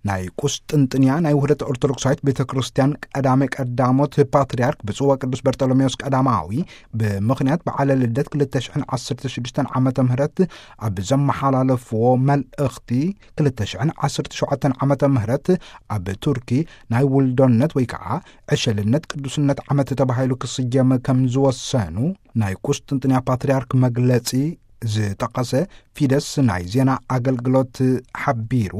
ናይ ቁስጥንጥንያ ናይ ውህደት ኦርቶዶክሳዊት ቤተ ክርስቲያን ቀዳሜ ቀዳሞት ፓትርያርክ ብፁዕ ወቅዱስ በርጠሎሜዎስ ቀዳማዊ፣ ብምኽንያት በዓለ ልደት ክልተ ሽሕን ዓሰርተ ሽዱሽተን ዓመተ ምህረት ኣብ ዘመሓላለፍዎ መልእኽቲ፣ ክልተ ሽሕን ዓሰርተ ሸውዓተን ዓመተ ምህረት ኣብ ቱርኪ ናይ ውልዶነት ወይ ከዓ ዕሸልነት ቅዱስነት ዓመት ተባሂሉ ክስየም ከም ዝወሰኑ ናይ ቁስጥንጥንያ ፓትርያርክ መግለጺ ዝጠቐሰ ፊደስ ናይ ዜና ኣገልግሎት ሓቢሩ።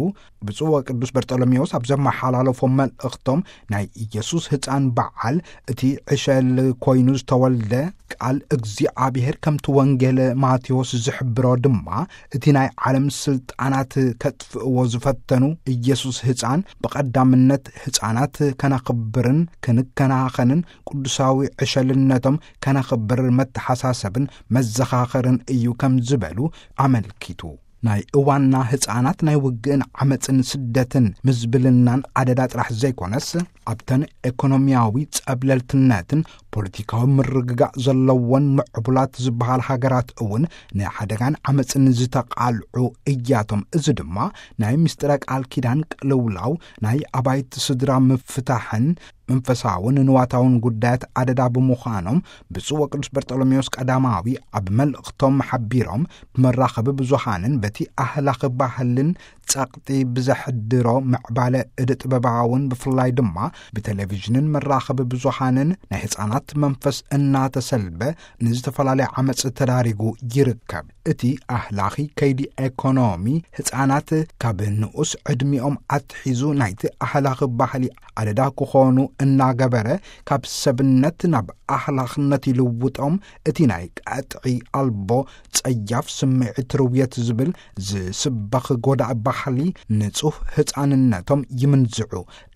ብፁዕ ወቅዱስ በርጠሎሜዎስ ኣብ ዘመሓላለፎም መልእኽቶም፣ ናይ ኢየሱስ ህፃን በዓል፣ እቲ ዕሸል ኮይኑ ዝተወልደ ቃል እግዚኣብሔር፣ ከምቲ ወንጌል ማቴዎስ ዝሕብሮ ድማ፣ እቲ ናይ ዓለም ስልጣናት ከጥፍእዎ ዝፈተኑ ኢየሱስ ህፃን፣ ብቐዳምነት ህፃናት ከነኽብርን ክንከናኸንን ቅዱሳዊ ዕሸልነቶም ከነኽብር መተሓሳሰብን መዘኻኸርን እዩ ከም ዝበሉ ኣመልኪቱ። ናይ እዋንና ህፃናት ናይ ውግእን ዓመፅን ስደትን ምዝብልናን ኣደዳ ጥራሕ ዘይኮነስ፣ ኣብተን ኤኮኖሚያዊ ጸብለልትነትን ፖለቲካዊ ምርግጋእ ዘለወን ምዕቡላት ዝበሃል ሃገራት እውን ንሓደጋን ዓመፅን ዝተቓልዑ እያቶም። እዚ ድማ ናይ ምስጢረ ቃል ኪዳን ቅልውላው፣ ናይ ኣባይቲ ስድራ ምፍታሕን መንፈሳውን ንዋታውን ጉዳያት ኣደዳ ብምዃኖም፣ ብፁዕ ወቅዱስ በርጠሎሜዎስ ቀዳማዊ ኣብ መልእኽቶም ሓቢሮም፣ ብመራኸቢ ብዙሃንን በቲ ኣህላኺ ባህልን ጸቕጢ ብዘሕድሮ ምዕባለ እደ ጥበባውን ብፍላይ ድማ ብቴሌቪዥንን መራኸቢ ብዙሃንን ናይ ህፃናት መንፈስ እናተሰልበ ንዝተፈላለየ ዓመፅ ተዳሪጉ ይርከብ። እቲ ኣህላኺ ከይዲ ኤኮኖሚ ህፃናት ካብ ንኡስ ዕድሚኦም ኣትሒዙ ናይቲ ኣህላኺ ባህሊ ኣደዳ ክኾኑ እናገበረ፣ ካብ ሰብነት ናብ ኣህላኽነት ይልውጦም። እቲ ናይ ቀጥዒ ኣልቦ ጸያፍ ስምዒት ርውየት ዝብል ዝስበኽ ጎዳኢ ባህሊ ንጹህ ህፃንነቶም ይምንዝዑ።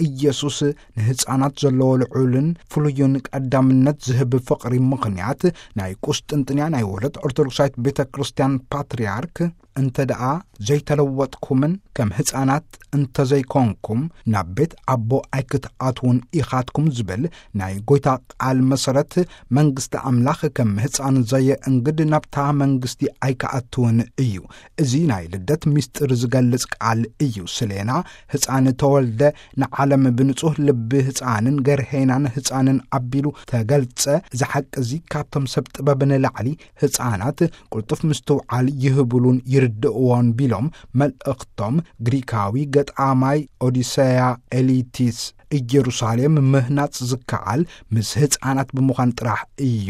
ኢየሱስ ንህፃናት ዘለዎ ልዑልን ፍሉይን ቀዳምነት ዝህብ ፍቕሪ ምኽንያት ናይ ቁስጥንጥንያ ናይ ውህደት ኦርቶዶክሳዊት ቤተ ክርስቲያን ፓትርያርክ፣ እንተ ደኣ ዘይተለወጥኩምን ከም ህፃናት እንተዘይኮንኩም ናብ ቤት ኣቦ ኣይክትኣትዉን ኢኻትኩም ዝብል ናይ ጎይታ ቃል መሰረት፣ መንግስቲ ኣምላኽ ከም ህፃን ዘየእንግድ ናብታ መንግስቲ ኣይክኣትውን እዩ። እዚ ናይ ልደት ምስጢር ዝገልጽ ቃል እዩ። ስሌና ህፃን ተወልደ፣ ንዓለም ብንጹህ ልቢ ህፃንን ገርሄናን ህፃንን ኣቢሉ ተገልጸ። እዚ ሓቂ እዚ ካብቶም ሰብ ጥበብ ንላዕሊ ህፃናት ቅልጡፍ ምስትውዓል ይህብሉን ይርድእዎን ቢሎም መልእኽቶም፣ ግሪካዊ ገጣማይ ኦዲሰያ ኤሊቲስ፣ ኢየሩሳሌም ምህናጽ ዝከኣል ምስ ህፃናት ብምዃን ጥራሕ እዩ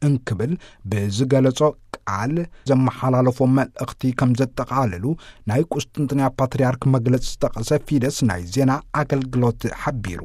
እንክብል ብዝገለጾ ቃል ዘመሓላለፎ መልእኽቲ ከም ዘጠቓልሉ ናይ ቁስጥንጥንያ ፓትርያርክ መግለጺ ዝጠቐሰ ፊደስ ናይ ዜና ኣገልግሎት ሓቢሩ።